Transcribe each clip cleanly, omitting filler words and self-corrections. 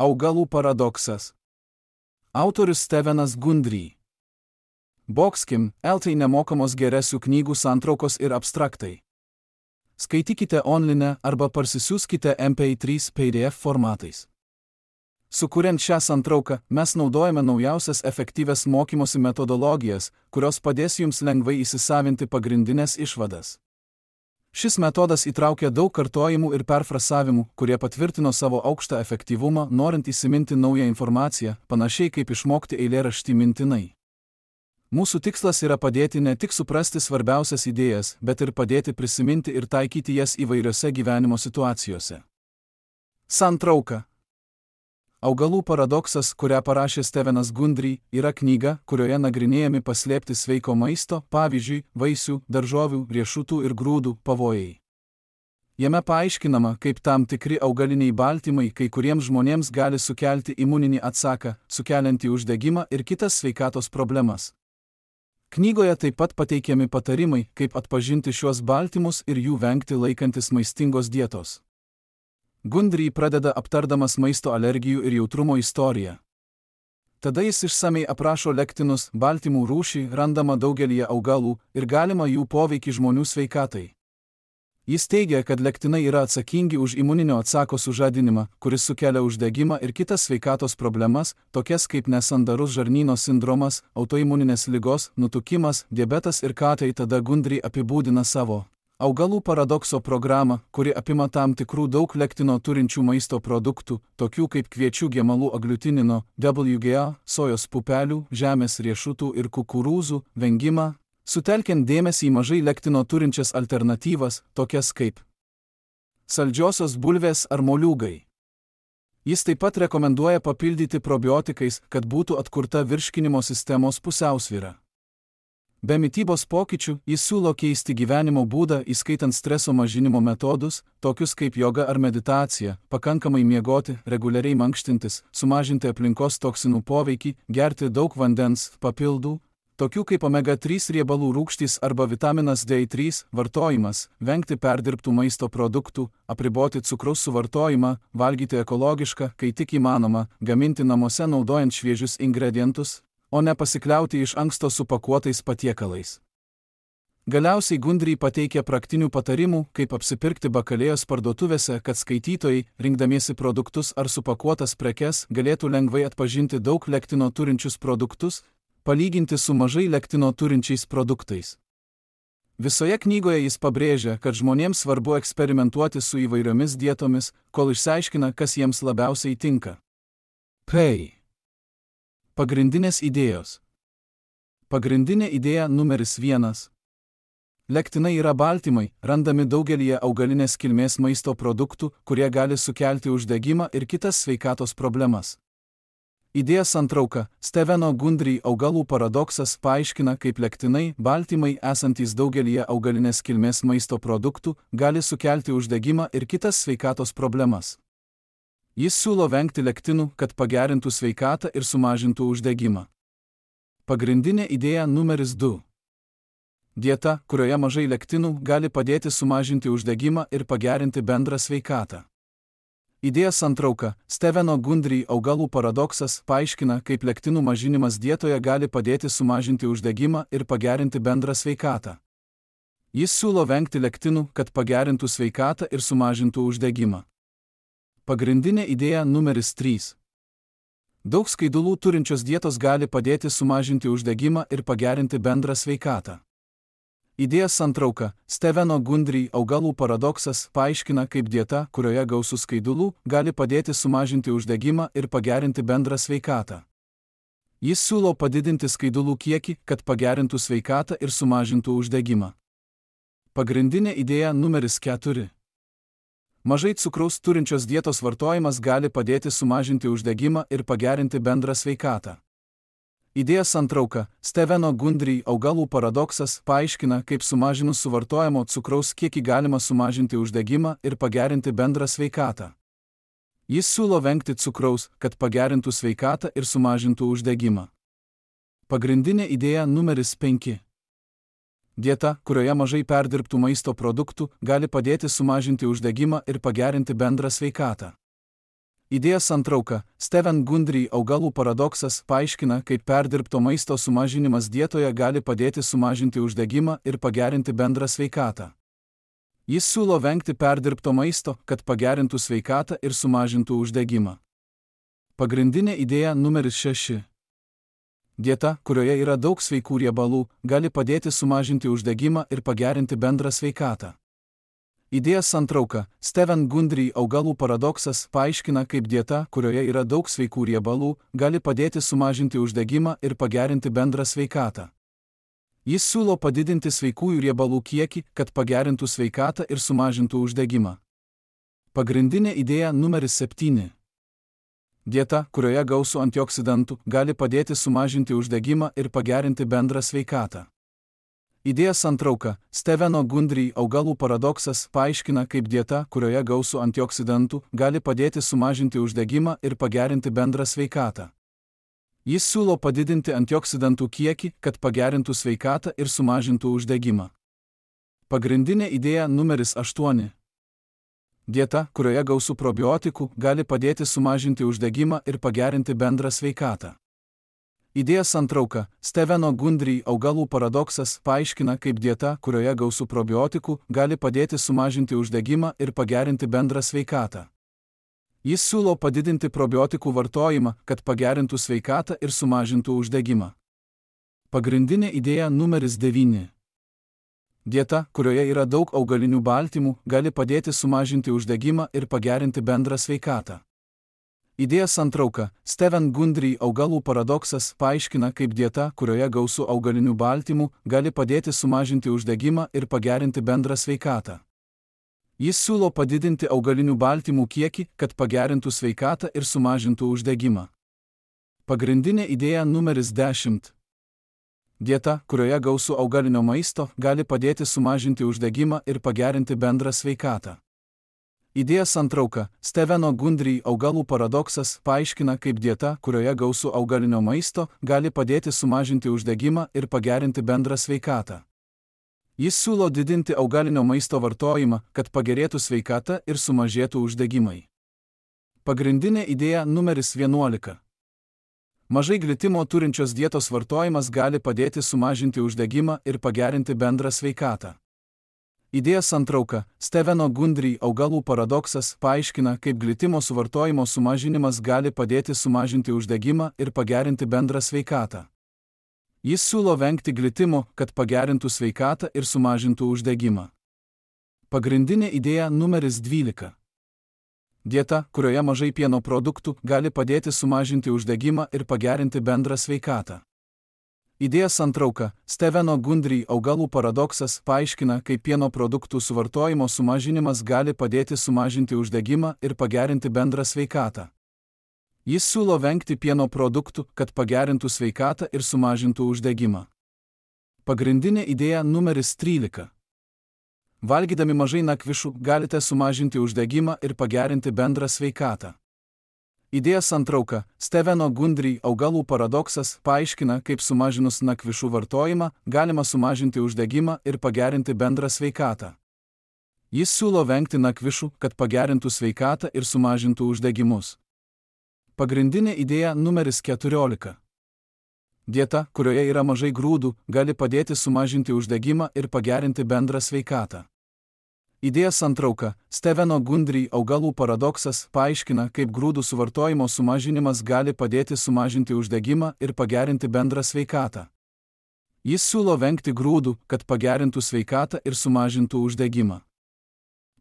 Augalų paradoksas. Autorius Stevenas Gundry. Boxkim, LT nemokamos geresių knygų santraukos ir abstraktai. Skaitykite online arba parsisiųskite MP3 PDF formatais. Sukuriant šią santrauką, mes naudojame naujausias efektyvias mokymosi metodologijas, kurios padės jums lengvai įsisavinti pagrindinės išvadas. Šis metodas įtraukia daug kartojimų ir perfrasavimų, kurie patvirtino savo aukštą efektyvumą, norint įsiminti naują informaciją, panašiai kaip išmokti eilėraštį mintinai. Mūsų tikslas yra padėti ne tik suprasti svarbiausias idėjas, bet ir padėti prisiminti ir taikyti jas įvairiose gyvenimo situacijose. Santrauka. Augalų paradoksas, kurią parašė Stevenas Gundry, yra knyga, kurioje nagrinėjami paslėpti sveiko maisto, pavyzdžiui, vaisių, daržovių, riešutų ir grūdų pavojai. Jame paaiškinama, kaip tam tikri augaliniai baltymai kai kuriems žmonėms gali sukelti imuninį atsaką, sukeliantį uždegimą ir kitas sveikatos problemas. Knygoje taip pat pateikiami patarimai, kaip atpažinti šiuos baltymus ir jų vengti laikantis maistingos dietos. Gundry pradeda aptardamas maisto alergijų ir jautrumo istoriją. Tada jis išsamei aprašo lektinus, baltymų rūšį, randamą daugelyje augalų ir galimą jų poveikį žmonių sveikatai. Jis teigia, kad lektinai yra atsakingi už imuninio atsako sužadinimą, kuris sukelia uždegimą ir kitas sveikatos problemas, tokias kaip nesandarus žarnyno sindromas, autoimuninės ligos, nutukimas, diabetas ir ką. Tada Gundry apibūdina savo augalų paradokso programą, kuri apima tam tikrų daug lektino turinčių maisto produktų, tokių kaip kviečių gemalų agliutinino, WGA, sojos pupelių, žemės riešutų ir kukurūzų, vengimą, sutelkiant dėmesį į mažai lektino turinčias alternatyvas, tokias kaip saldžiosios bulvės ar moliūgai. Jis taip pat rekomenduoja papildyti probiotikais, kad būtų atkurta virškinimo sistemos pusiausvyra. Be mitybos pokyčių, jis siūlo keisti gyvenimo būdą, įskaitant streso mažinimo metodus, tokius kaip joga ar meditacija, pakankamai miegoti, reguliariai mankštintis, sumažinti aplinkos toksinų poveikį, gerti daug vandens, papildų, tokių kaip omega-3 riebalų rūgštys arba vitaminas D3 vartojimas, vengti perdirbtų maisto produktų, apriboti cukraus suvartojimą, valgyti ekologišką, kai tik įmanoma, gaminti namuose naudojant šviežius ingredientus, o ne pasikliauti iš anksto supakuotais patiekalais. Galiausiai Gundry pateikia praktinių patarimų, kaip apsipirkti bakalėjos parduotuvėse, kad skaitytojai, rinkdamiesi produktus ar supakuotas prekes, galėtų lengvai atpažinti daug lektino turinčius produktus, palyginti su mažai lektino turinčiais produktais. Visoje knygoje jis pabrėžia, kad žmonėms svarbu eksperimentuoti su įvairiomis dietomis, kol išsiaiškina, kas jiems labiausiai tinka. Pagrindinės idėjos. Pagrindinė idėja numeris 1. Lektinai yra baltymai, randami daugelyje augalinės kilmės maisto produktų, kurie gali sukelti uždegimą ir kitas sveikatos problemas. Idėja santrauka. Steveno Gundry augalų paradoksas paaiškina, kaip lektinai, baltymai esantys daugelyje augalinės kilmės maisto produktų, gali sukelti uždegimą ir kitas sveikatos problemas. Jis siūlo vengti lektinų, kad pagerintų sveikatą ir sumažintų uždegimą. Pagrindinė idėja numeris 2. Dieta, kurioje mažai lektinų, gali padėti sumažinti uždegimą ir pagerinti bendrą sveikatą. Idėja santrauka. Steveno Gundry augalų paradoksas paaiškina, kaip lektinų mažinimas dietoje gali padėti sumažinti uždegimą ir pagerinti bendrą sveikatą. Jis siūlo vengti lektinų, kad pagerintų sveikatą ir sumažintų uždegimą. Pagrindinė idėja numeris 3. Daug skaidulų turinčios dietos gali padėti sumažinti uždegimą ir pagerinti bendrą sveikatą. Idėja santrauka. Steveno Gundry augalų paradoksas paaiškina, kaip dieta, kurioje gausu skaidulų, gali padėti sumažinti uždegimą ir pagerinti bendrą sveikatą. Jis siūlo padidinti skaidulų kiekį, kad pagerintų sveikatą ir sumažintų uždegimą. Pagrindinė idėja numeris 4. Mažai cukraus turinčios dietos vartojimas gali padėti sumažinti uždegimą ir pagerinti bendrą sveikatą. Idėja santrauka. Steveno Gundry augalų paradoksas paaiškina, kaip sumažinus suvartojamo cukraus kiekį galima sumažinti uždegimą ir pagerinti bendrą sveikatą. Jis siūlo vengti cukraus, kad pagerintų sveikatą ir sumažintų uždegimą. Pagrindinė idėja numeris 5. Dieta, kurioje mažai perdirbtų maisto produktų, gali padėti sumažinti uždegimą ir pagerinti bendrą sveikatą. Idėja santrauka. Stephen Gundry augalų paradoksas paaiškina, kaip perdirbto maisto sumažinimas dietoje gali padėti sumažinti uždegimą ir pagerinti bendrą sveikatą. Jis siūlo vengti perdirbto maisto, kad pagerintų sveikatą ir sumažintų uždegimą. Pagrindinė idėja numeris 6. Dieta, kurioje yra daug sveikų riebalų, gali padėti sumažinti uždegimą ir pagerinti bendrą sveikatą. Idėja santrauka. Stephen Gundry augalų paradoksas paaiškina, kaip dieta, kurioje yra daug sveikų riebalų, gali padėti sumažinti uždegimą ir pagerinti bendrą sveikatą. Jis siūlo padidinti sveikųjų riebalų kiekį, kad pagerintų sveikatą ir sumažintų uždegimą. Pagrindinė idėja numeris 7. Dieta, kurioje gausu antioksidantų, gali padėti sumažinti uždegimą ir pagerinti bendrą sveikatą. Idėja santrauka. Stepheno Gundry augalų paradoksas paaiškina, kaip dieta, kurioje gausu antioksidantų, gali padėti sumažinti uždegimą ir pagerinti bendrą sveikatą. Jis siūlo padidinti antioksidantų kiekį, kad pagerintų sveikatą ir sumažintų uždegimą. Pagrindinė idėja numeris 8. Dieta, kurioje gausu probiotikų, gali padėti sumažinti uždegimą ir pagerinti bendrą sveikatą. Idėja santrauka. Stepheno Gundry augalų paradoksas paaiškina, kaip dieta, kurioje gausu probiotikų, gali padėti sumažinti uždegimą ir pagerinti bendrą sveikatą. Jis siūlo padidinti probiotikų vartojimą, kad pagerintų sveikatą ir sumažintų uždegimą. Pagrindinė idėja numeris 9. Dieta, kurioje yra daug augalinių baltymų, gali padėti sumažinti uždegimą ir pagerinti bendrą sveikatą. Idėja santrauka. Stephen Gundry augalų paradoksas paaiškina, kaip dieta, kurioje gausu augalinių baltymų, gali padėti sumažinti uždegimą ir pagerinti bendrą sveikatą. Jis siūlo padidinti augalinių baltymų kiekį, kad pagerintų sveikatą ir sumažintų uždegimą. Pagrindinė idėja numeris 10. Dieta, kurioje gausu augalinio maisto, gali padėti sumažinti uždegimą ir pagerinti bendrą sveikatą. Idėja santrauka. Stepheno Gundry augalų paradoksas paaiškina, kaip dieta, kurioje gausu augalinio maisto, gali padėti sumažinti uždegimą ir pagerinti bendrą sveikatą. Jis siūlo didinti augalinio maisto vartojimą, kad pagerėtų sveikata ir sumažėtų uždegimai. Pagrindinė idėja numeris 11. Mažai glitimo turinčios dietos vartojimas gali padėti sumažinti uždegimą ir pagerinti bendrą sveikatą. Idėja santrauka. Stepheno Gundry augalų paradoksas paaiškina, kaip glitimo suvartojimo sumažinimas gali padėti sumažinti uždegimą ir pagerinti bendrą sveikatą. Jis siūlo vengti glitimo, kad pagerintų sveikatą ir sumažintų uždegimą. Pagrindinė idėja numeris 12. Dieta, kurioje mažai pieno produktų, gali padėti sumažinti uždegimą ir pagerinti bendrą sveikatą. Idėja santrauka. Stepheno Gundry augalų paradoksas paaiškina, kaip pieno produktų suvartojimo sumažinimas gali padėti sumažinti uždegimą ir pagerinti bendrą sveikatą. Jis siūlo vengti pieno produktų, kad pagerintų sveikatą ir sumažintų uždegimą. Pagrindinė idėja numeris 13. Valgydami mažai nakvišų galite sumažinti uždegimą ir pagerinti bendrą sveikatą. Idėja santrauka. Stepheno Gundry augalų paradoksas paaiškina, kaip sumažinus nakvišų vartojimą galima sumažinti uždegimą ir pagerinti bendrą sveikatą. Jis siūlo vengti nakvišų, kad pagerintų sveikatą ir sumažintų uždegimus. Pagrindinė idėja numeris 14. Dieta, kurioje yra mažai grūdų, gali padėti sumažinti uždegimą ir pagerinti bendrą sveikatą. Idėja santrauka. Stepheno Gundry augalų paradoksas paaiškina, kaip grūdų suvartojimo sumažinimas gali padėti sumažinti uždegimą ir pagerinti bendrą sveikatą. Jis siūlo vengti grūdų, kad pagerintų sveikatą ir sumažintų uždegimą.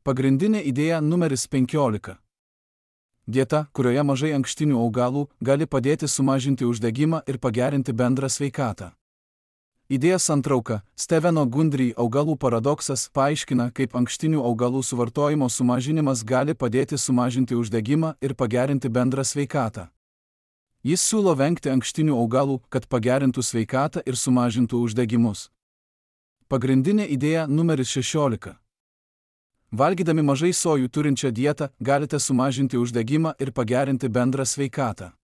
Pagrindinė idėja numeris 15. Dieta, kurioje mažai ankštinių augalų, gali padėti sumažinti uždegimą ir pagerinti bendrą sveikatą. Idėja santrauka. Stepheno Gundry augalų paradoksas paaiškina, kaip ankštinių augalų suvartojimo sumažinimas gali padėti sumažinti uždegimą ir pagerinti bendrą sveikatą. Jis siūlo vengti ankštinių augalų, kad pagerintų sveikatą ir sumažintų uždegimus. Pagrindinė idėja numeris 16. Valgydami mažai sojų turinčią dietą galite sumažinti uždegimą ir pagerinti bendrą sveikatą.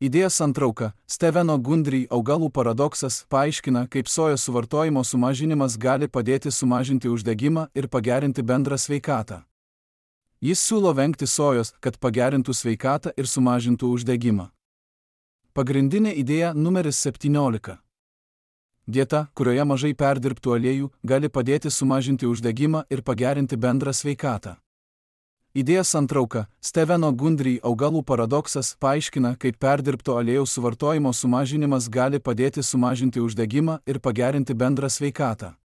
Idėja santrauka. Stepheno Gundry augalų paradoksas paaiškina, kaip sojos suvartojimo sumažinimas gali padėti sumažinti uždegimą ir pagerinti bendrą sveikatą. Jis siūlo vengti sojos, kad pagerintų sveikatą ir sumažintų uždegimą. Pagrindinė idėja numeris 17. Dieta, kurioje mažai perdirbtų aliejų, gali padėti sumažinti uždegimą ir pagerinti bendrą sveikatą. Idėjos santrauka Steveno Gundry augalų paradoksas paaiškina, kaip perdirbto aliejaus suvartojimo sumažinimas gali padėti sumažinti uždegimą ir pagerinti bendrą sveikatą.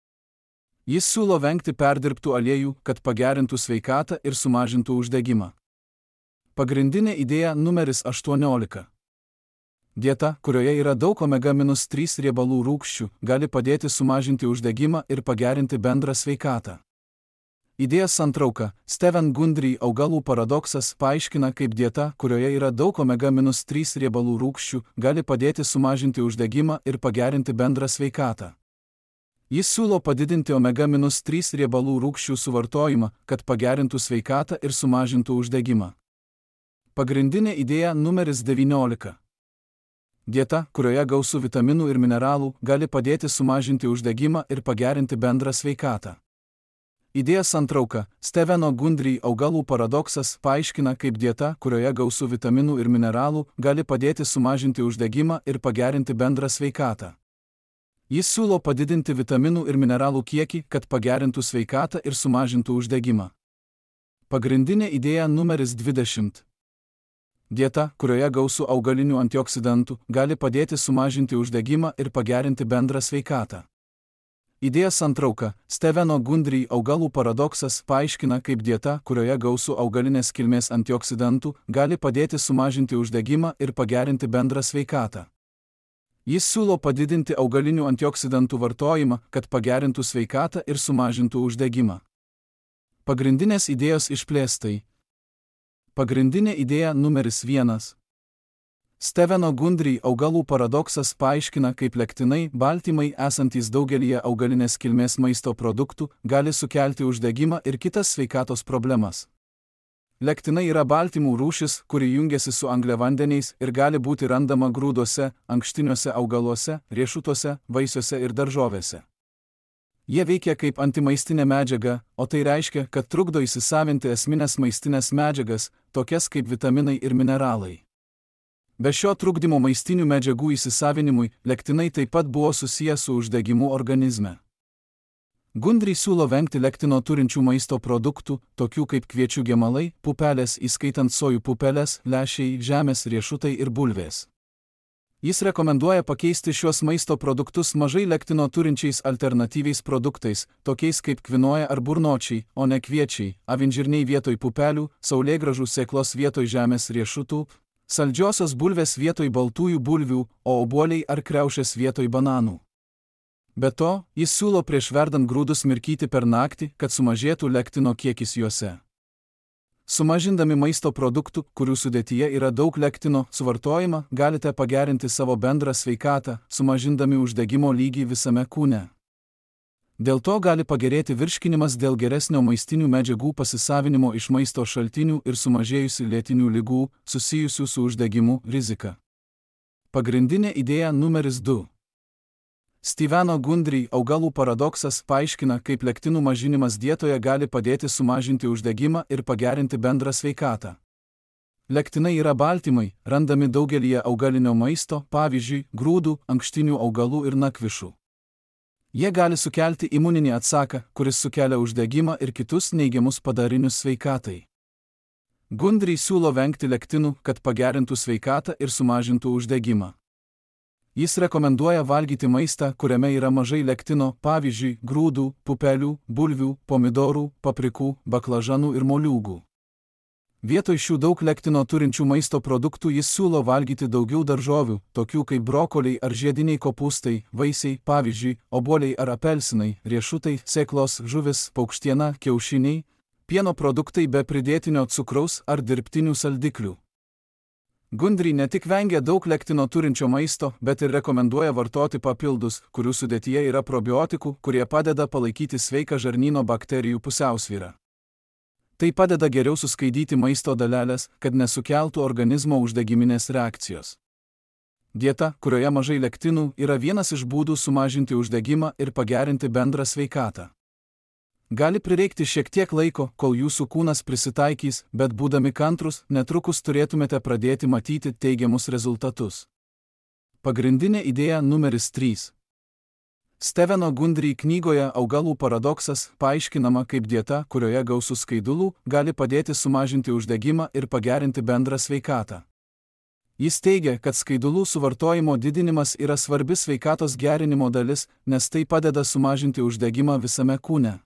Jis siūlo vengti perdirbtų aliejų, kad pagerintų sveikatą ir sumažintų uždegimą. Pagrindinė idėja numeris 18. Dieta, kurioje yra daug omega-3 riebalų rūgščių, gali padėti sumažinti uždegimą ir pagerinti bendrą sveikatą. Idėjos santrauka Steven Gundry augalų paradoksas paaiškina, kaip dieta, kurioje yra daug omega-3 riebalų rūgščių, gali padėti sumažinti uždegimą ir pagerinti bendrą sveikatą. Jis siūlo padidinti omega-3 riebalų rūgščių suvartojimą, kad pagerintų sveikatą ir sumažintų uždegimą. Pagrindinė idėja numeris 19. Dieta, kurioje gausu vitaminų ir mineralų, gali padėti sumažinti uždegimą ir pagerinti bendrą sveikatą. Idėjos santrauka Steveno Gundry augalų paradoksas paaiškina, kaip dieta, kurioje gausu vitaminų ir mineralų, gali padėti sumažinti uždegimą ir pagerinti bendrą sveikatą. Jis siūlo padidinti vitaminų ir mineralų kiekį, kad pagerintų sveikatą ir sumažintų uždegimą. Pagrindinė idėja numeris 20. Dieta, kurioje gausu augalinių antioksidantų, gali padėti sumažinti uždegimą ir pagerinti bendrą sveikatą. Idėjos santrauka Steveno Gundry augalų paradoksas paaiškina, kaip dieta, kurioje gausu augalinės kilmės antioksidantų, gali padėti sumažinti uždegimą ir pagerinti bendrą sveikatą. Jis siūlo padidinti augalinių antioksidantų vartojimą, kad pagerintų sveikatą ir sumažintų uždegimą. Pagrindinės idėjos išplėstai. Pagrindinė idėja numeris 1. Steveno Gundry augalų paradoksas paaiškina, kaip lektinai, baltymai esantys daugelyje augalinės kilmės maisto produktų, gali sukelti uždegimą ir kitas sveikatos problemas. Lektinai yra baltymų rūšis, kuri jungiasi su angliavandeniais ir gali būti randama grūduose, ankštiniuose augaluose, riešutuose, vaisiuose ir daržovėse. Jie veikia kaip antimaistinė medžiaga, o tai reiškia, kad trukdo įsisavinti esminės maistinės medžiagas, tokias kaip vitaminai ir mineralai. Be šio trukdymo maistinių medžiagų įsisavinimui, lektinai taip pat buvo susiję su uždegimu organizme. Gundry siūlo vengti lektino turinčių maisto produktų, tokių kaip kviečių gemalai, pupelės, įskaitant sojų pupeles, lęšiai, žemės riešutai ir bulvės. Jis rekomenduoja pakeisti šiuos maisto produktus mažai lektino turinčiais alternatyviais produktais, tokiais kaip kvinoja ar burnočiai, o ne kviečiai, avinžirniai vietoj pupelių, saulėgrąžų sėklos vietoj žemės riešutų, saldžiosios bulvės vietoj baltųjų bulvių, o obuoliai ar kriaušės vietoj bananų. Be to, jis siūlo prieš verdant grūdus mirkyti per naktį, kad sumažėtų lektino kiekis juose. Sumažindami maisto produktų, kurių sudėtyje yra daug lektino, suvartojimą, galite pagerinti savo bendrą sveikatą, sumažindami uždegimo lygį visame kūne. Dėl to gali pagerėti virškinimas dėl geresnio maistinių medžiagų pasisavinimo iš maisto šaltinių ir sumažėjusių lėtinių ligų, susijusių su uždegimu, rizika. Pagrindinė idėja numeris 2. Steveno Gundry augalų paradoksas paaiškina, kaip lektinų mažinimas dietoje gali padėti sumažinti uždegimą ir pagerinti bendrą sveikatą. Lektinai yra baltymai, randami daugelyje augalinio maisto, pavyzdžiui, grūdų, ankštinių augalų ir nakvišų. Jie gali sukelti imuninį atsaką, kuris sukelia uždegimą ir kitus neigiamus padarinius sveikatai. Gundry siūlo vengti lektinų, kad pagerintų sveikatą ir sumažintų uždegimą. Jis rekomenduoja valgyti maistą, kuriame yra mažai lektino, pavyzdžiui, grūdų, pupelių, bulvių, pomidorų, paprikų, baklažanų ir moliūgų. Vietoj šių daug lektino turinčių maisto produktų jis siūlo valgyti daugiau daržovių, tokių kaip brokoliai ar žiediniai kopūstai, vaisiai, pavyzdžiui, obuoliai ar apelsinai, riešutai, sėklos, žuvis, paukštiena, kiaušiniai, pieno produktai be pridėtinio cukraus ar dirbtinių saldiklių. Gundry ne tik vengia daug lektino turinčio maisto, bet ir rekomenduoja vartoti papildus, kurių sudėtyje yra probiotikų, kurie padeda palaikyti sveiką žarnyno bakterijų pusiausvyrą. Tai padeda geriau suskaidyti maisto dalelės, kad nesukeltų organizmo uždegiminės reakcijos. Dieta, kurioje mažai lektinų, yra vienas iš būdų sumažinti uždegimą ir pagerinti bendrą sveikatą. Gali prireikti šiek tiek laiko, kol jūsų kūnas prisitaikys, bet būdami kantrus, netrukus turėtumėte pradėti matyti teigiamus rezultatus. Pagrindinė idėja numeris 3. Steveno Gundry knygoje Augalų paradoksas paaiškinama, kaip dieta, kurioje gausu skaidulų, gali padėti sumažinti uždegimą ir pagerinti bendrą sveikatą. Jis teigia, kad skaidulų suvartojimo didinimas yra svarbi sveikatos gerinimo dalis, nes tai padeda sumažinti uždegimą visame kūne.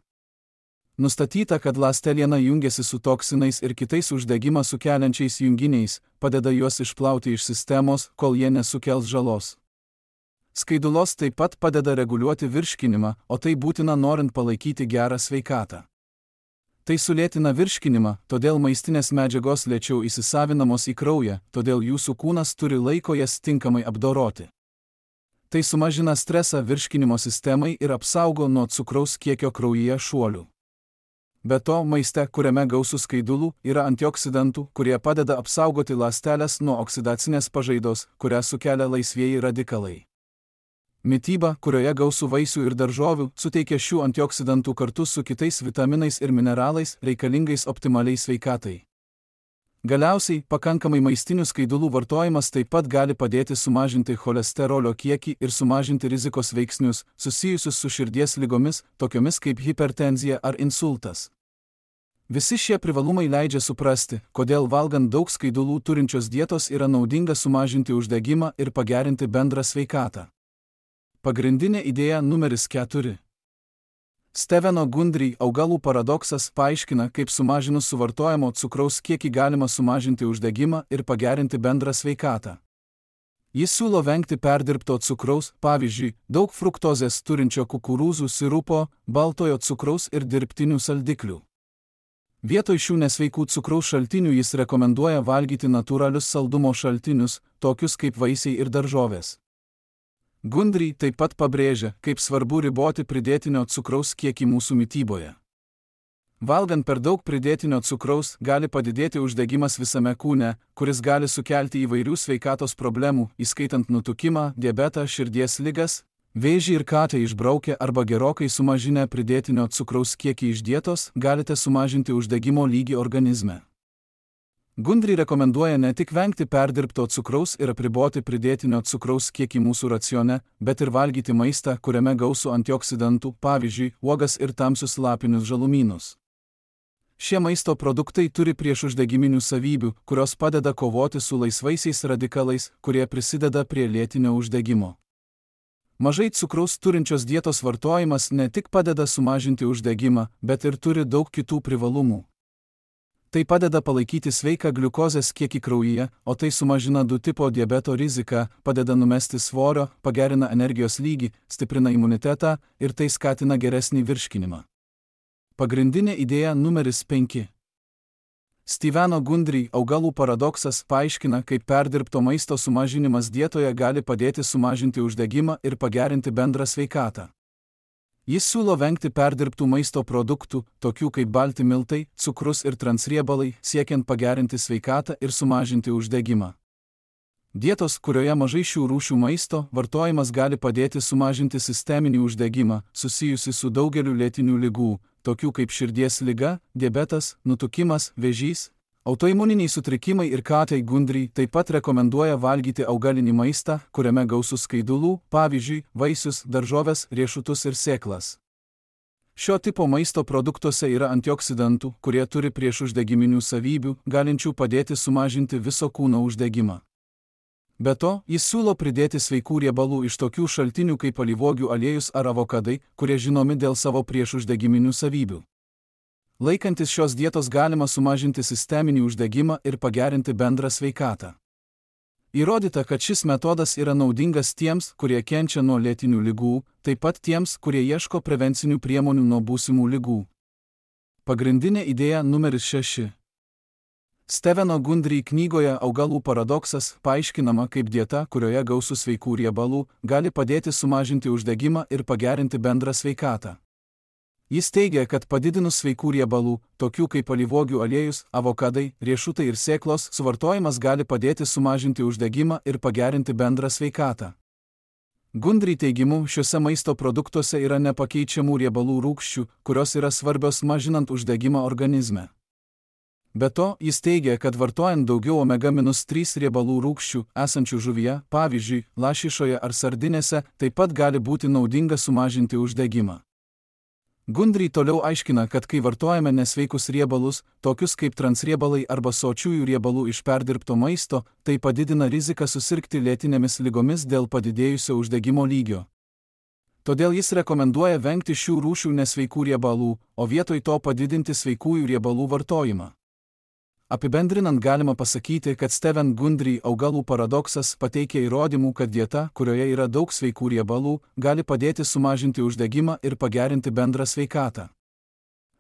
Nustatyta, kad ląsteliena jungiasi su toksinais ir kitais uždegimą sukeliančiais junginiais, padeda juos išplauti iš sistemos, kol jie nesukels žalos. Skaidulos taip pat padeda reguliuoti virškinimą, o tai būtina norint palaikyti gerą sveikatą. Tai sulėtina virškinimą, todėl maistinės medžiagos lėčiau įsisavinamos į kraują, todėl jūsų kūnas turi laiko jas tinkamai apdoroti. Tai sumažina stresą virškinimo sistemai ir apsaugo nuo cukraus kiekio kraujyje šuolių. Be to, maiste, kuriame gausu skaidulų, yra antioksidantų, kurie padeda apsaugoti ląsteles nuo oksidacinės pažaidos, kurią sukelia laisvieji radikalai. Mityba, kurioje gausu vaisių ir daržovių, suteikia šių antioksidantų kartu su kitais vitaminais ir mineralais, reikalingais optimaliai sveikatai. Galiausiai, pakankamai maistinių skaidulų vartojimas taip pat gali padėti sumažinti cholesterolio kiekį ir sumažinti rizikos veiksnius, susijusius su širdies ligomis, tokiomis kaip hipertenzija ar insultas. Visi šie privalumai leidžia suprasti, kodėl valgant daug skaidulų turinčios dietos yra naudinga sumažinti uždegimą ir pagerinti bendrą sveikatą. Pagrindinė idėja numeris 4. Steveno Gundry Augalų paradoksas paaiškina, kaip sumažinus suvartojamo cukraus kiekį galima sumažinti uždegimą ir pagerinti bendrą sveikatą. Jis siūlo vengti perdirbto cukraus, pavyzdžiui, daug fruktozės turinčio kukurūzų sirupo, baltojo cukraus ir dirbtinių saldiklių. Vietoj šių nesveikų cukraus šaltinių jis rekomenduoja valgyti natūralius saldumo šaltinius, tokius kaip vaisiai ir daržovės. Gundry taip pat pabrėžia, kaip svarbu riboti pridėtinio cukraus kiekį mūsų mityboje. Valgant per daug pridėtinio cukraus gali padidėti uždegimas visame kūne, kuris gali sukelti įvairių sveikatos problemų, įskaitant nutukimą, diabetą, širdies ligas, vėžį ir katę išbraukę arba gerokai sumažinę pridėtinio cukraus kiekį iš dietos, galite sumažinti uždegimo lygį organizme. Gundry rekomenduoja ne tik vengti perdirbto cukraus ir apriboti pridėtinio cukraus kiekį mūsų racione, bet ir valgyti maistą, kuriame gausu antioksidantų, pavyzdžiui, uogas ir tamsius lapinius žalumynus. Šie maisto produktai turi priešuždegiminių savybių, kurios padeda kovoti su laisvaisiais radikalais, kurie prisideda prie lėtinio uždegimo. Mažai cukraus turinčios dietos vartojimas ne tik padeda sumažinti uždegimą, bet ir turi daug kitų privalumų. Tai padeda palaikyti sveiką gliukozės kiekį kraujyje, o tai sumažina 2 tipo diabeto riziką, padeda numesti svorio, pagerina energijos lygį, stiprina imunitetą ir tai skatina geresnį virškinimą. Pagrindinė idėja numeris 5. Steveno Gundry Augalų paradoksas paaiškina, kaip perdirbto maisto sumažinimas dietoje gali padėti sumažinti uždegimą ir pagerinti bendrą sveikatą. Jis siūlo vengti perdirbtų maisto produktų, tokių kaip balti miltai, cukrus ir transriebalai, siekiant pagerinti sveikatą ir sumažinti uždegimą. Dietos, kurioje mažai šių rūšių maisto, vartojimas gali padėti sumažinti sisteminį uždegimą, susijusi su daugeliu lėtinių ligų, tokių kaip širdies liga, diabetas, nutukimas, vėžys, autoimuniniai sutrikimai ir katei. Gundry taip pat rekomenduoja valgyti augalinį maistą, kuriame gausu skaidulų, pavyzdžiui, vaisius, daržoves, riešutus ir sėklas. Šio tipo maisto produktuose yra antioksidantų, kurie turi priešuždegiminių savybių, galinčių padėti sumažinti viso kūno uždegimą. Be to, jis siūlo pridėti sveikų riebalų iš tokių šaltinių kaip alyvuogių aliejus ar avokadai, kurie žinomi dėl savo priešuždegiminių savybių. Laikantis šios dietos galima sumažinti sisteminį uždegimą ir pagerinti bendrą sveikatą. Įrodyta, kad šis metodas yra naudingas tiems, kurie kenčia nuo lėtinių ligų, taip pat tiems, kurie ieško prevencinių priemonių nuo būsimų ligų. Pagrindinė idėja numeris 6. Steveno Gundry knygoje Augalų paradoksas paaiškinama, kaip dieta, kurioje gausu sveikų riebalų, gali padėti sumažinti uždegimą ir pagerinti bendrą sveikatą. Jis teigia, kad padidinus sveikų riebalų, tokių kaip alyvuogių aliejus, avokadai, riešutai ir sėklos, suvartojimas gali padėti sumažinti uždegimą ir pagerinti bendrą sveikatą. Gundry teigimu, šiuose maisto produktuose yra nepakeičiamų riebalų rūgščių, kurios yra svarbios mažinant uždegimą organizme. Be to, jis teigia, kad vartojant daugiau omega-3 riebalų rūgščių esančių žuvyje, pavyzdžiui, lašišoje ar sardinėse, taip pat gali būti naudinga sumažinti uždegimą. Gundry toliau aiškina, kad kai vartojame nesveikus riebalus, tokius kaip transriebalai arba sočiųjų riebalų iš perdirbto maisto, tai padidina riziką susirgti lėtinėmis ligomis dėl padidėjusio uždegimo lygio. Todėl jis rekomenduoja vengti šių rūšių nesveikų riebalų, o vietoj to padidinti sveikųjų riebalų vartojimą. Apibendrinant galima pasakyti, kad Stephen Gundry augalų paradoksas pateikia įrodymų, kad dieta, kurioje yra daug sveikų riebalų, gali padėti sumažinti uždegimą ir pagerinti bendrą sveikatą.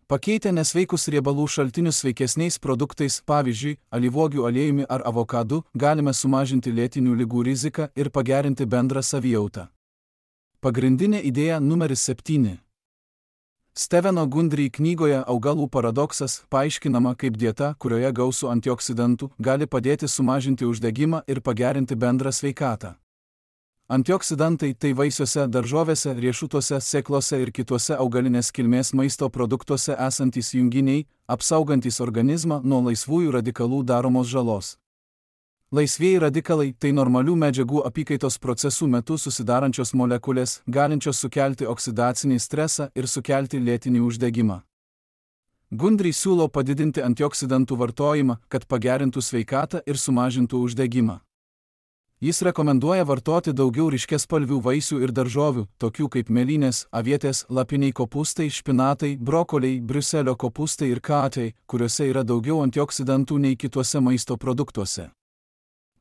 Pakeitę nesveikus riebalų šaltinius sveikesniais produktais, pavyzdžiui, alyvuogių aliejumi ar avokadu, galime sumažinti lėtinių ligų riziką ir pagerinti bendrą savijautą. Pagrindinė idėja numeris 7. Stepheno Gundry knygoje Augalų paradoksas paaiškinama, kaip dieta, kurioje gausu antioksidantų, gali padėti sumažinti uždegimą ir pagerinti bendrą sveikatą. Antioksidantai tai vaisiuose, daržovėse, riešutuose, sėklose ir kituose augalinės kilmės maisto produktuose esantys junginiai, apsaugantys organizmą nuo laisvųjų radikalų daromos žalos. Laisvieji radikalai tai normalių medžiagų apykaitos procesų metu susidarančios molekulės, galinčios sukelti oksidacinį stresą ir sukelti lėtinį uždegimą. Gundry siūlo padidinti antioksidantų vartojimą, kad pagerintų sveikatą ir sumažintų uždegimą. Jis rekomenduoja vartoti daugiau ryškiaspalvių vaisių ir daržovių, tokių kaip mėlynės, avietės, lapiniai kopūstai, špinatai, brokoliai, briuselio kopūstai ir katai, kuriuose yra daugiau antioksidantų nei kituose maisto produktuose.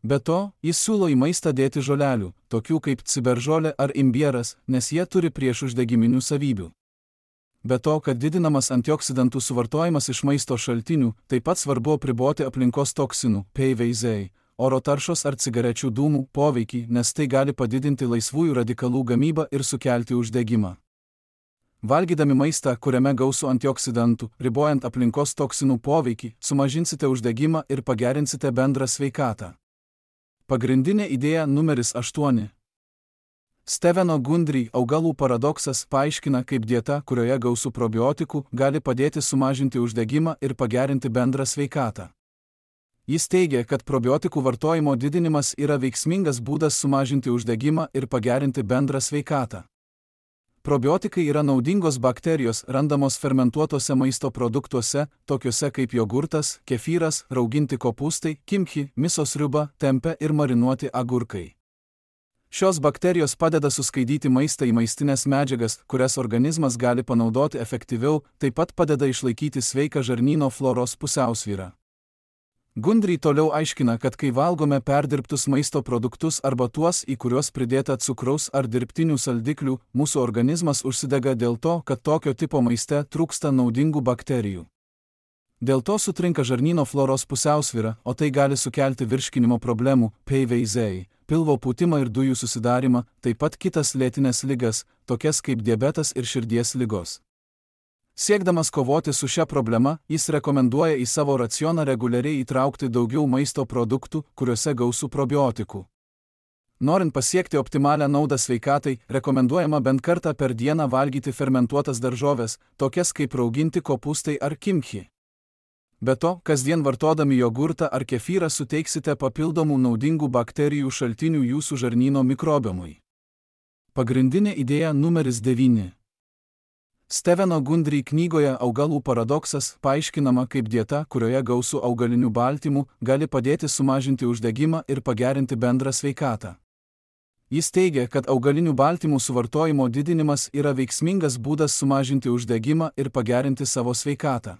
Be to, jis siūlo į maistą dėti žolelių, tokių kaip ciberžolė ar imbieras, nes jie turi priešuždegiminių savybių. Be to, kad didinamas antioksidantų suvartojimas iš maisto šaltinių, taip pat svarbu apriboti aplinkos toksinų, PVZ, oro taršos ar cigarečių dūmų poveikį, nes tai gali padidinti laisvųjų radikalų gamybą ir sukelti uždegimą. Valgydami maistą, kuriame gausu antioksidantų, ribojant aplinkos toksinų poveikį, sumažinsite uždegimą ir pagerinsite bendrą sveikatą. Pagrindinė idėja numeris 8. Stepheno Gundry augalų paradoksas paaiškina, kaip dieta, kurioje gausu probiotikų, gali padėti sumažinti uždegimą ir pagerinti bendrą sveikatą. Jis teigia, kad probiotikų vartojimo didinimas yra veiksmingas būdas sumažinti uždegimą ir pagerinti bendrą sveikatą. Probiotikai yra naudingos bakterijos randamos fermentuotose maisto produktuose, tokiuose kaip jogurtas, kefyras, rauginti kopūstai, kimchi, miso sriuba, tempė ir marinuoti agurkai. Šios bakterijos padeda suskaidyti maistą į maistinės medžiagas, kurias organizmas gali panaudoti efektyviau, taip pat padeda išlaikyti sveiką žarnyno floros pusiausvyrą. Gundry toliau aiškina, kad kai valgome perdirbtus maisto produktus arba tuos, į kuriuos pridėta cukraus ar dirbtinių saldiklių, mūsų organizmas užsidega dėl to, kad tokio tipo maiste trūksta naudingų bakterijų. Dėl to sutrinka žarnyno floros pusiausvyra, o tai gali sukelti virškinimo problemų, PVZ, pilvo pūtimą ir dujų susidarimą, taip pat kitas lėtines ligas, tokias kaip diabetas ir širdies ligos. Siekdamas kovoti su šia problema, jis rekomenduoja į savo racioną reguliariai įtraukti daugiau maisto produktų, kuriuose gausu probiotikų. Norint pasiekti optimalią naudą sveikatai, rekomenduojama bent kartą per dieną valgyti fermentuotas daržoves, tokias kaip rauginti kopūstai ar kimchi. Be to, kasdien vartodami jogurtą ar kefyrą suteiksite papildomų naudingų bakterijų šaltinių jūsų žarnyno mikrobiomui. Pagrindinė idėja numeris 9. Stepheno Gundry knygoje Augalų paradoksas paaiškinama, kaip dieta, kurioje gausu augalinių baltymų, gali padėti sumažinti uždegimą ir pagerinti bendrą sveikatą. Jis teigia, kad augalinių baltymų suvartojimo didinimas yra veiksmingas būdas sumažinti uždegimą ir pagerinti savo sveikatą.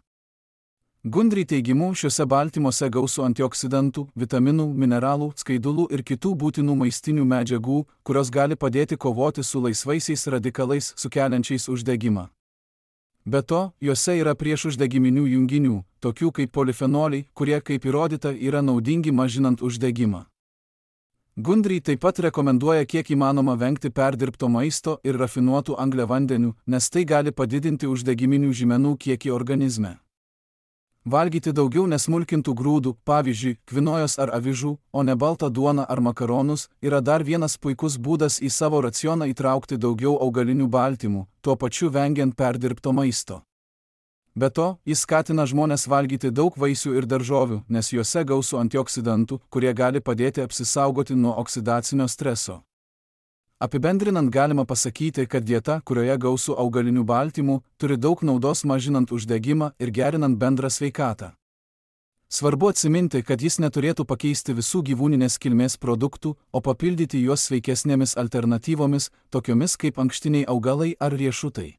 Gundry teigimu, šiuose baltymuose gausu antioksidantų, vitaminų, mineralų, skaidulų ir kitų būtinų maistinių medžiagų, kurios gali padėti kovoti su laisvaisiais radikalais sukeliančiais uždegimą. Be to, juose yra priešuždegiminių junginių, tokių kaip polifenoliai, kurie, kaip įrodyta, yra naudingi mažinant uždegimą. Gundry taip pat rekomenduoja kiek įmanoma vengti perdirbto maisto ir rafinuotų angliavandenių, nes tai gali padidinti uždegiminių žymenų kiekį organizme. Valgyti daugiau nesmulkintų grūdų, pavyzdžiui, kvinojos ar avižų, o ne baltą duoną ar makaronus, yra dar vienas puikus būdas į savo racioną įtraukti daugiau augalinių baltymų, tuo pačiu vengiant perdirbto maisto. Be to, jis skatina žmones valgyti daug vaisių ir daržovių, nes juose gausu antioksidantų, kurie gali padėti apsisaugoti nuo oksidacinio streso. Apibendrinant galima pasakyti, kad dieta, kurioje gausu augalinių baltymų, turi daug naudos mažinant uždegimą ir gerinant bendrą sveikatą. Svarbu atsiminti, kad jis neturėtų pakeisti visų gyvūninės kilmės produktų, o papildyti juos sveikesnėmis alternatyvomis, tokiomis kaip ankštiniai augalai ar riešutai.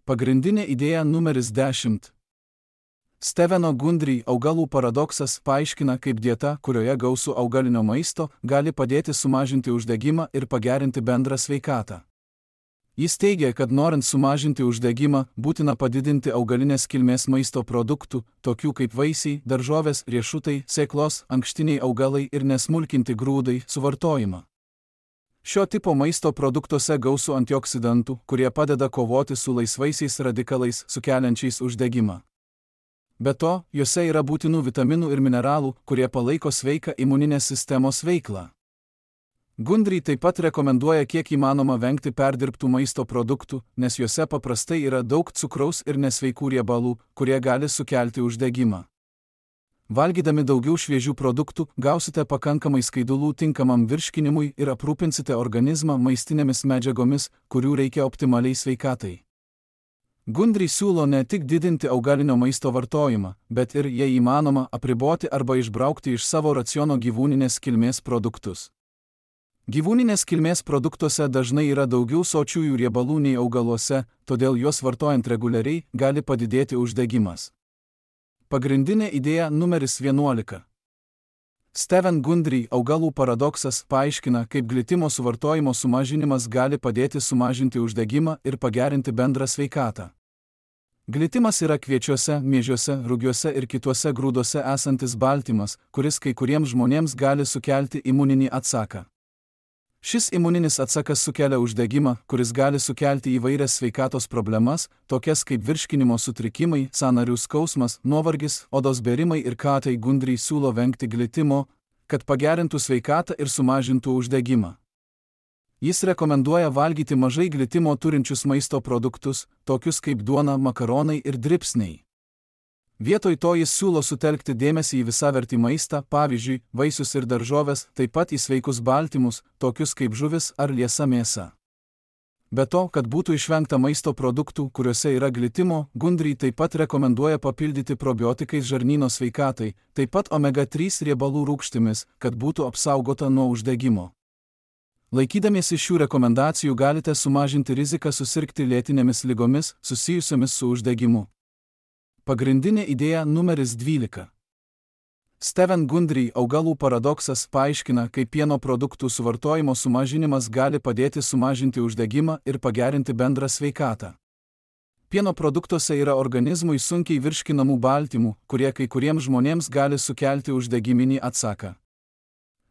Pagrindinė idėja numeris 10. Steveno Gundry augalų paradoksas paaiškina, kaip dieta, kurioje gausu augalinio maisto, gali padėti sumažinti uždegimą ir pagerinti bendrą sveikatą. Jis teigia, kad norint sumažinti uždegimą, būtina padidinti augalinės kilmės maisto produktų, tokių kaip vaisiai, daržovės, riešutai, sėklos, ankštiniai augalai ir nesmulkinti grūdai, suvartojimą. Šio tipo maisto produktuose gausu antioksidantų, kurie padeda kovoti su laisvaisiais radikalais sukeliančiais uždegimą. Be to, juose yra būtinų vitaminų ir mineralų, kurie palaiko sveiką imuninės sistemos veiklą. Gundry taip pat rekomenduoja kiek įmanoma vengti perdirbtų maisto produktų, nes juose paprastai yra daug cukraus ir nesveikų riebalų, kurie gali sukelti uždegimą. Valgydami daugiau šviežių produktų, gausite pakankamai skaidulų tinkamam virškinimui ir aprūpinsite organizmą maistinėmis medžiagomis, kurių reikia optimaliai sveikatai. Gundry siūlo ne tik didinti augalinio maisto vartojimą, bet ir, jei įmanoma, apriboti arba išbraukti iš savo raciono gyvūninės kilmės produktus. Gyvūninės kilmės produktuose dažnai yra daugiau sočiųjų riebalų nei augaluose, todėl juos vartojant reguliariai gali padidėti uždegimas. Pagrindinė idėja numeris 11. Steven Gundry augalų paradoksas paaiškina, kaip glitimo suvartojimo sumažinimas gali padėti sumažinti uždegimą ir pagerinti bendrą sveikatą. Glitimas yra kviečiuose, miežiuose, rugiuose ir kituose grūduose esantis baltymas, kuris kai kuriems žmonėms gali sukelti imuninį atsaką. Šis imuninis atsakas sukelia uždegimą, kuris gali sukelti įvairias sveikatos problemas, tokias kaip virškinimo sutrikimai, sąnarių skausmas, nuovargis, odos bėrimai ir tai Gundry siūlo vengti glitimo, kad pagerintų sveikatą ir sumažintų uždegimą. Jis rekomenduoja valgyti mažai glitimo turinčius maisto produktus, tokius kaip duona, makaronai ir dribsniai. Vietoj to jis siūlo sutelkti dėmesį į visavertį maistą, pavyzdžiui, vaisius ir daržoves, taip pat į sveikus baltymus, tokius kaip žuvis ar liesa mėsa. Be to, kad būtų išvengta maisto produktų, kuriuose yra glitimo, Gundry taip pat rekomenduoja papildyti probiotikais žarnyno sveikatai, taip pat omega-3 riebalų rūgštimis, kad būtų apsaugota nuo uždegimo. Laikydamiesi šių rekomendacijų galite sumažinti riziką susirgti lėtinėmis ligomis susijusiomis su uždegimu. Pagrindinė idėja numeris 12. Steven Gundry augalų paradoksas paaiškina, kaip pieno produktų suvartojimo sumažinimas gali padėti sumažinti uždegimą ir pagerinti bendrą sveikatą. Pieno produktuose yra organizmui sunkiai virškinamų baltymų, kurie kai kuriems žmonėms gali sukelti uždegiminį atsaką.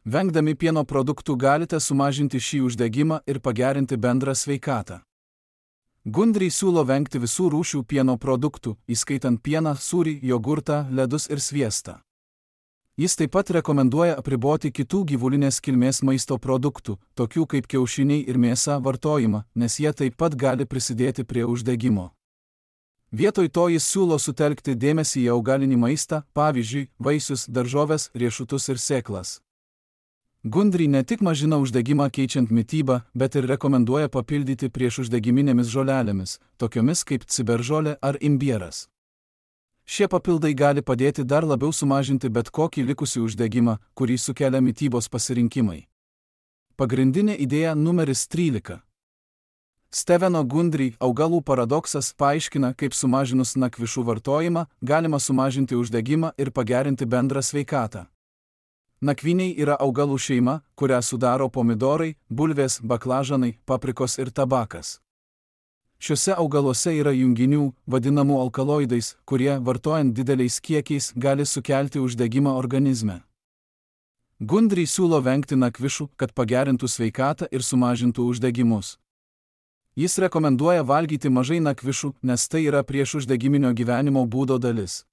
Vengdami pieno produktų galite sumažinti šį uždegimą ir pagerinti bendrą sveikatą. Gundry siūlo vengti visų rūšių pieno produktų, įskaitant pieną, sūrį, jogurtą, ledus ir sviestą. Jis taip pat rekomenduoja apriboti kitų gyvulinės kilmės maisto produktų, tokių kaip kiaušiniai ir mėsa vartojimą, nes jie taip pat gali prisidėti prie uždegimo. Vietoj to jis siūlo sutelkti dėmesį į augalinį maistą, pavyzdžiui, vaisius, daržoves, riešutus ir sėklas. Gundry ne tik mažina uždegimą keičiant mitybą, bet ir rekomenduoja papildyti priešuždegiminėmis žolelėmis, tokiomis kaip ciberžolė ar imbieras. Šie papildai gali padėti dar labiau sumažinti bet kokį likusį uždegimą, kurį sukelia mitybos pasirinkimai. Pagrindinė idėja numeris 13. Steveno Gundry augalų paradoksas paaiškina, kaip sumažinus nakvišų vartojimą galima sumažinti uždegimą ir pagerinti bendrą sveikatą. Nakvyniai yra augalų šeima, kurią sudaro pomidorai, bulvės, baklažanai, paprikos ir tabakas. Šiuose augaluose yra junginių, vadinamų alkaloidais, kurie, vartojant dideliais kiekiais, gali sukelti uždegimą organizme. Gundry siūlo vengti nakvišų, kad pagerintų sveikatą ir sumažintų uždegimus. Jis rekomenduoja valgyti mažai nakvišų, nes tai yra priešuždegiminio gyvenimo būdo dalis.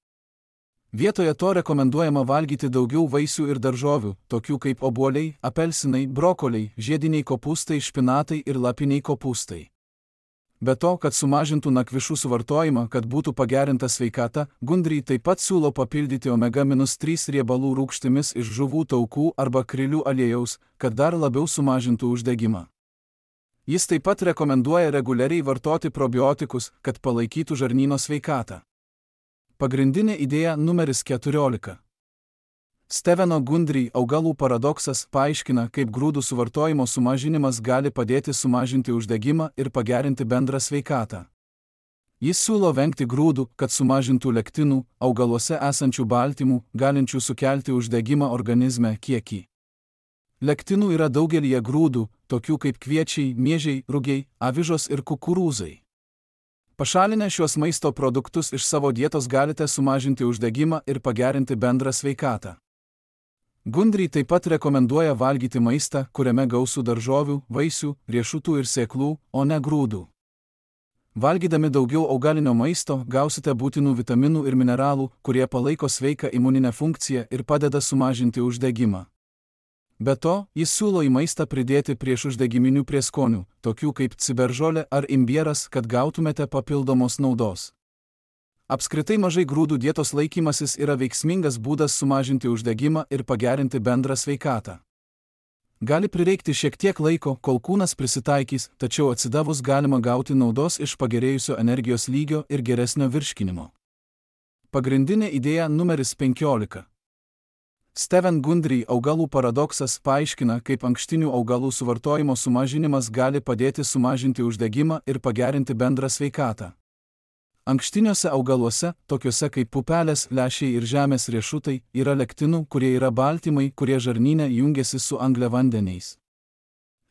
Vietoje to rekomenduojama valgyti daugiau vaisių ir daržovių, tokių kaip obuoliai, apelsinai, brokoliai, žiediniai kopūstai, špinatai ir lapiniai kopūstai. Be to, kad sumažintų nakvišų suvartojimą, kad būtų pagerinta sveikata, Gundry taip pat siūlo papildyti omega-3 riebalų rūgštimis iš žuvų taukų arba krilių aliejaus, kad dar labiau sumažintų uždegimą. Jis taip pat rekomenduoja reguliariai vartoti probiotikus, kad palaikytų žarnyno sveikatą. Pagrindinė idėja numeris 14. Steveno Gundry augalų paradoksas paaiškina, kaip grūdų suvartojimo sumažinimas gali padėti sumažinti uždegimą ir pagerinti bendrą sveikatą. Jis siūlo vengti grūdų, kad sumažintų lektinų, augaluose esančių baltymų, galinčių sukelti uždegimą organizme kiekį. Lektinų yra daugelyje grūdų, tokių kaip kviečiai, miežiai, rugiai, avižos ir kukurūzai. Pašalinę šiuos maisto produktus iš savo dietos galite sumažinti uždegimą ir pagerinti bendrą sveikatą. Gundry taip pat rekomenduoja valgyti maistą, kuriame gausu daržovių, vaisių, riešutų ir sėklų, o ne grūdų. Valgydami daugiau augalinio maisto gausite būtinų vitaminų ir mineralų, kurie palaiko sveiką imuninę funkciją ir padeda sumažinti uždegimą. Be to, jis siūlo į maistą pridėti priešuždegiminių prieskonių, tokių kaip ciberžolė ar imbieras, kad gautumėte papildomos naudos. Apskritai mažai grūdų dietos laikymasis yra veiksmingas būdas sumažinti uždegimą ir pagerinti bendrą sveikatą. Gali prireikti šiek tiek laiko, kol kūnas prisitaikys, tačiau atsidavus galima gauti naudos iš pagerėjusio energijos lygio ir geresnio virškinimo. Pagrindinė idėja numeris 15. Steven Gundry augalų paradoksas paaiškina, kaip ankštinių augalų suvartojimo sumažinimas gali padėti sumažinti uždegimą ir pagerinti bendrą sveikatą. Ankštiniuose augaluose, tokiuose kaip pupelės, lęšiai ir žemės riešutai, yra lektinų, kurie yra baltymai, kurie žarnyne jungiasi su angliavandeniais.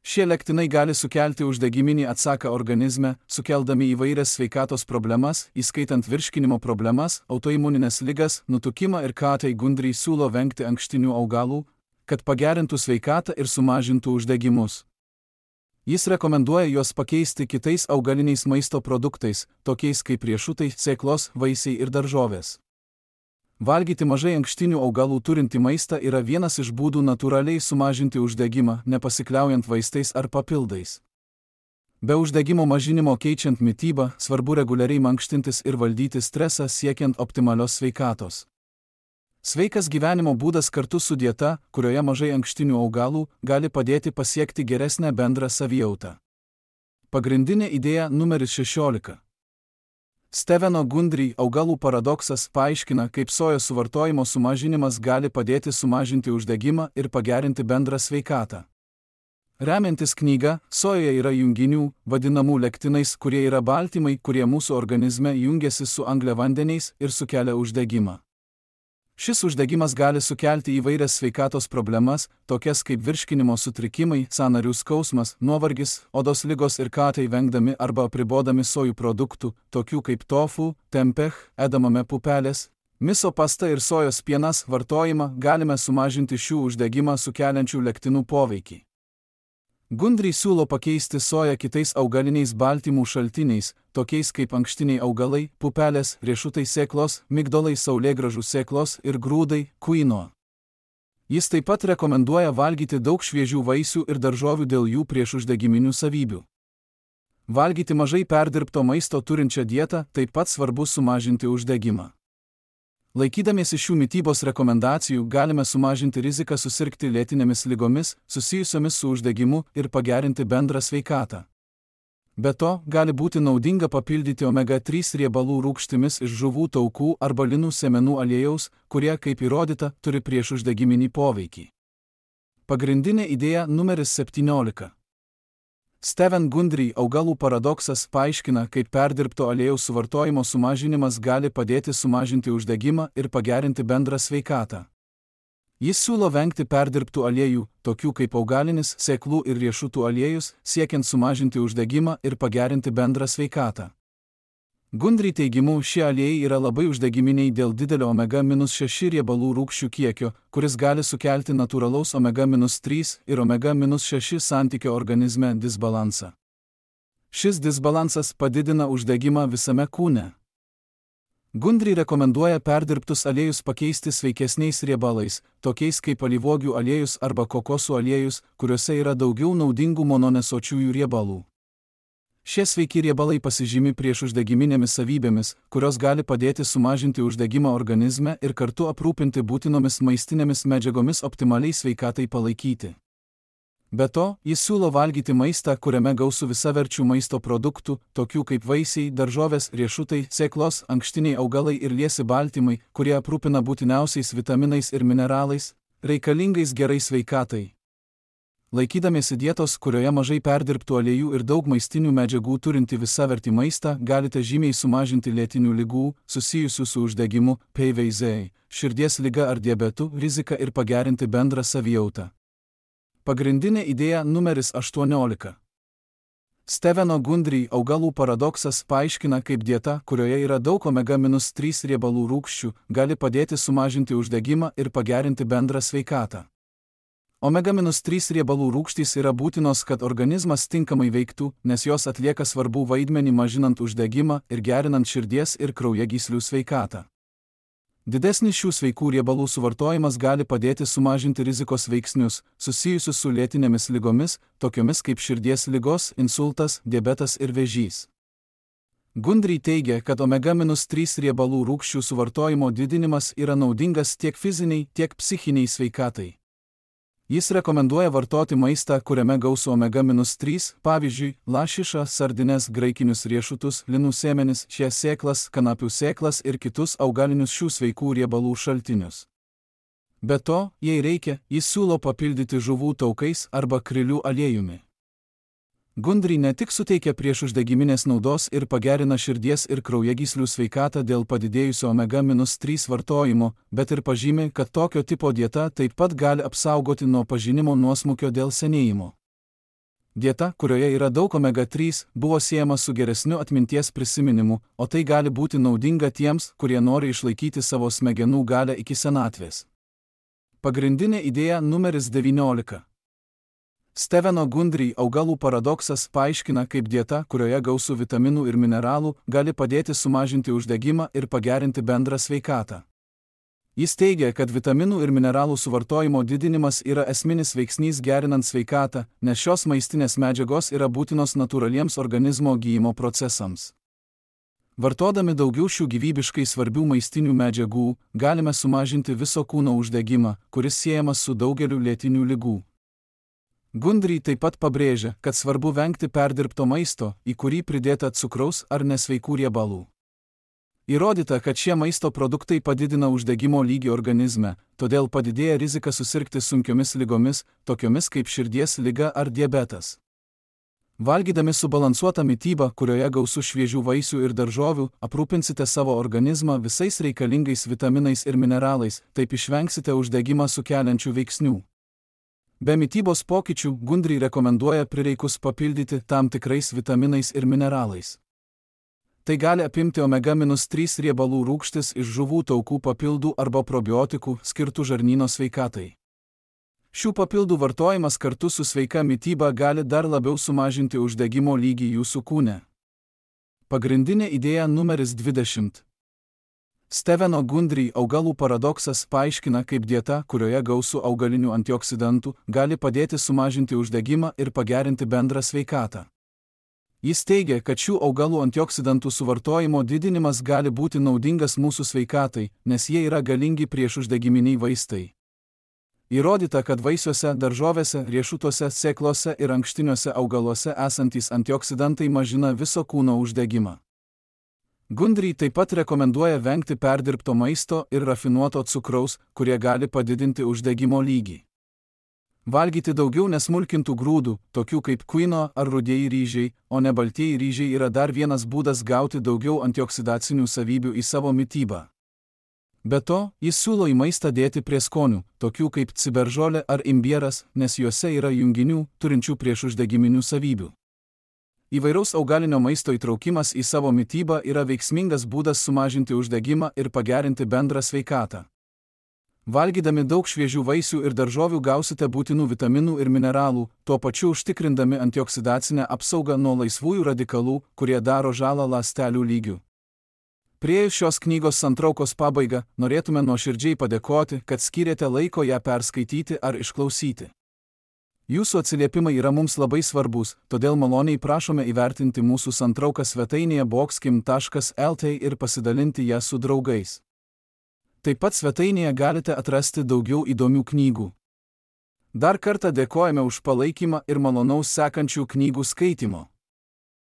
Šie lektinai gali sukelti uždegiminį atsaką organizme, sukeldami įvairias sveikatos problemas, įskaitant virškinimo problemas, autoimuninės ligas, nutukimą ir tai Gundry siūlo vengti ankštinių augalų, kad pagerintų sveikatą ir sumažintų uždegimus. Jis rekomenduoja juos pakeisti kitais augaliniais maisto produktais, tokiais kaip riešutai, sėklos, vaisiai ir daržovės. Valgyti mažai ankštinių augalų turintį maistą yra vienas iš būdų natūraliai sumažinti uždegimą, nepasikliaujant vaistais ar papildais. Be uždegimo mažinimo keičiant mitybą, svarbu reguliariai mankštintis ir valdyti stresą siekiant optimalios sveikatos. Sveikas gyvenimo būdas kartu su dieta, kurioje mažai ankštinių augalų, gali padėti pasiekti geresnę bendrą savijautą. Pagrindinė idėja numeris 16. Steveno Gundry augalų paradoksas paaiškina, kaip sojos suvartojimo sumažinimas gali padėti sumažinti uždegimą ir pagerinti bendrą sveikatą. Remiantis knyga, sojoje yra junginių, vadinamų lektinais, kurie yra baltymai, kurie mūsų organizme jungiasi su angliavandeniais ir sukelia uždegimą. Šis uždegimas gali sukelti įvairias sveikatos problemas, tokias kaip virškinimo sutrikimai, sąnarių skausmas, nuovargis, odos ligos ir tai vengdami arba apribodami sojų produktų, tokių kaip tofu, tempeh, edamame pupelės, miso pasta ir sojos pienas vartojimą galime sumažinti šių uždegimą sukeliančių lektinų poveikį. Gundry siūlo pakeisti soją kitais augaliniais baltymų šaltiniais, tokiais kaip ankštiniai augalai, pupelės, riešutai sėklos, migdolai saulėgrąžų sėklos ir grūdai, kuino. Jis taip pat rekomenduoja valgyti daug šviežių vaisių ir daržovių dėl jų priešuždegiminių savybių. Valgyti mažai perdirbto maisto turinčią dietą taip pat svarbu sumažinti uždegimą. Laikydamiesi šių mitybos rekomendacijų galime sumažinti riziką susirgti lėtinėmis ligomis, susijusiomis su uždegimu ir pagerinti bendrą sveikatą. Be to, gali būti naudinga papildyti omega-3 riebalų rūgštimis iš žuvų taukų arba linų sėmenų aliejaus, kurie, kaip įrodyta, turi priešuždegiminį poveikį. Pagrindinė idėja numeris 17. Steven Gundry augalų paradoksas paaiškina, kaip perdirbto aliejaus suvartojimo sumažinimas gali padėti sumažinti uždegimą ir pagerinti bendrą sveikatą. Jis siūlo vengti perdirbtų aliejų, tokių kaip augalinis, sėklų ir riešutų aliejus, siekiant sumažinti uždegimą ir pagerinti bendrą sveikatą. Gundry teigimu, šie aliejai yra labai uždegiminiai dėl didelio omega-6 riebalų rūgščių kiekio, kuris gali sukelti natūralaus omega-3 ir omega-6 santykio organizme disbalansą. Šis disbalansas padidina uždegimą visame kūne. Gundry rekomenduoja perdirbtus aliejus pakeisti sveikesniais riebalais, tokiais kaip alyvuogių aliejus arba kokosų aliejus, kuriuose yra daugiau naudingų mononesočiųjų riebalų. Šie sveiki riebalai pasižymi priešuždegiminėmis savybėmis, kurios gali padėti sumažinti uždegimą organizme ir kartu aprūpinti būtinomis maistinėmis medžiagomis optimaliai sveikatai palaikyti. Be to, jis siūlo valgyti maistą, kuriame gausu visaverčių maisto produktų, tokių kaip vaisiai, daržovės, riešutai, sėklos, ankštiniai augalai ir liesi baltymai, kurie aprūpina būtiniausiais vitaminais ir mineralais, reikalingais gerai sveikatai. Laikydamiesi dietos, kurioje mažai perdirbtų aliejų ir daug maistinių medžiagų turinti visavertį maistą, galite žymiai sumažinti lėtinių ligų, susijusių su uždegimu, PVZ, širdies liga ar diabetu, riziką ir pagerinti bendrą savijautą. Pagrindinė idėja numeris 18. Steveno Gundry augalų paradoksas paaiškina, kaip dieta, kurioje yra daug omega-3 riebalų rūgščių, gali padėti sumažinti uždegimą ir pagerinti bendrą sveikatą. Omega-3 riebalų rūgštys yra būtinos, kad organizmas tinkamai veiktų, nes jos atlieka svarbų vaidmenį mažinant uždegimą ir gerinant širdies ir kraujagyslių sveikatą. Didesnis šių sveikų riebalų suvartojimas gali padėti sumažinti rizikos veiksnius, susijusius su lėtinėmis ligomis, tokiomis kaip širdies ligos, insultas, diabetas ir vėžys. Gundry teigia, kad omega-3 riebalų rūgščių suvartojimo didinimas yra naudingas tiek fiziniai, tiek psichiniai sveikatai. Jis rekomenduoja vartoti maistą, kuriame gausu omega-3, pavyzdžiui, lašišą, sardines, graikinius riešutus, linų sėmenis, šias sėklas, kanapių sėklas ir kitus augalinius šių sveikų riebalų šaltinius. Be to, jei reikia, jis siūlo papildyti žuvų taukais arba krilių aliejumi. Gundry ne tik suteikia priešuždegiminės naudos ir pagerina širdies ir kraujagyslių sveikatą dėl padidėjusio omega-3 vartojimo, bet ir pažymi, kad tokio tipo dieta taip pat gali apsaugoti nuo pažinimo nuosmukio dėl senėjimo. Dieta, kurioje yra daug omega-3, buvo siejama su geresniu atminties prisiminimu, o tai gali būti naudinga tiems, kurie nori išlaikyti savo smegenų galią iki senatvės. Pagrindinė idėja numeris 19. Steveno Gundry augalų paradoksas paaiškina, kaip dieta, kurioje gausu vitaminų ir mineralų, gali padėti sumažinti uždegimą ir pagerinti bendrą sveikatą. Jis teigia, kad vitaminų ir mineralų suvartojimo didinimas yra esminis veiksnys gerinant sveikatą, nes šios maistinės medžiagos yra būtinos natūraliems organizmo gyjimo procesams. Vartodami daugiau šių gyvybiškai svarbių maistinių medžiagų, galime sumažinti viso kūno uždegimą, kuris siejamas su daugeliu lėtinių ligų. Gundry taip pat pabrėžia, kad svarbu vengti perdirbto maisto, į kurį pridėta cukraus ar nesveikų riebalų. Įrodyta, kad šie maisto produktai padidina uždegimo lygį organizme, todėl padidėja rizika susirgti sunkiomis ligomis, tokiomis kaip širdies liga ar diabetas. Valgydami subalansuotą mitybą, kurioje gausu šviežių vaisių ir daržovių, aprūpinsite savo organizmą visais reikalingais vitaminais ir mineralais, taip išvengsite uždegimą sukeliančių veiksnių. Be mitybos pokyčių, Gundry rekomenduoja prireikus papildyti tam tikrais vitaminais ir mineralais. Tai gali apimti omega-3 riebalų rūgštis iš žuvų taukų papildų arba probiotikų skirtų žarnyno sveikatai. Šių papildų vartojimas kartu su sveika mityba gali dar labiau sumažinti uždegimo lygį jūsų kūne. Pagrindinė idėja numeris 20. Steveno Gundry augalų paradoksas paaiškina, kaip dieta, kurioje gausu augalinių antioksidantų, gali padėti sumažinti uždegimą ir pagerinti bendrą sveikatą. Jis teigia, kad šių augalų antioksidantų suvartojimo didinimas gali būti naudingas mūsų sveikatai, nes jie yra galingi priešuždegiminiai vaistai. Įrodyta, kad vaisiuose, daržovėse, riešutuose, sėklose ir ankštiniuose augaluose esantys antioksidantai mažina viso kūno uždegimą. Gundry taip pat rekomenduoja vengti perdirbto maisto ir rafinuoto cukraus, kurie gali padidinti uždegimo lygį. Valgyti daugiau nesmulkintų grūdų, tokių kaip kvino ar rudieji ryžiai, o ne baltieji ryžiai yra dar vienas būdas gauti daugiau antioksidacinių savybių į savo mitybą. Be to, jis siūlo į maistą dėti prieskonių, tokių kaip ciberžolė ar imbieras, nes juose yra junginių, turinčių priešuždegiminių savybių. Įvairaus augalinio maisto įtraukimas į savo mitybą yra veiksmingas būdas sumažinti uždegimą ir pagerinti bendrą sveikatą. Valgydami daug šviežių vaisių ir daržovių gausite būtinų vitaminų ir mineralų, tuo pačiu užtikrindami antioksidacinę apsaugą nuo laisvųjų radikalų, kurie daro žalą ląstelių lygiu. Priėjus šios knygos santraukos pabaigą, norėtume nuoširdžiai padėkoti, kad skyrėte laiko ją perskaityti ar išklausyti. Jūsų atsiliepimai yra mums labai svarbus, todėl maloniai prašome įvertinti mūsų santrauką svetainėje boxkim.lt ir pasidalinti ją su draugais. Taip pat svetainėje galite atrasti daugiau įdomių knygų. Dar kartą dėkojame už palaikymą ir malonaus sekančių knygų skaitymo.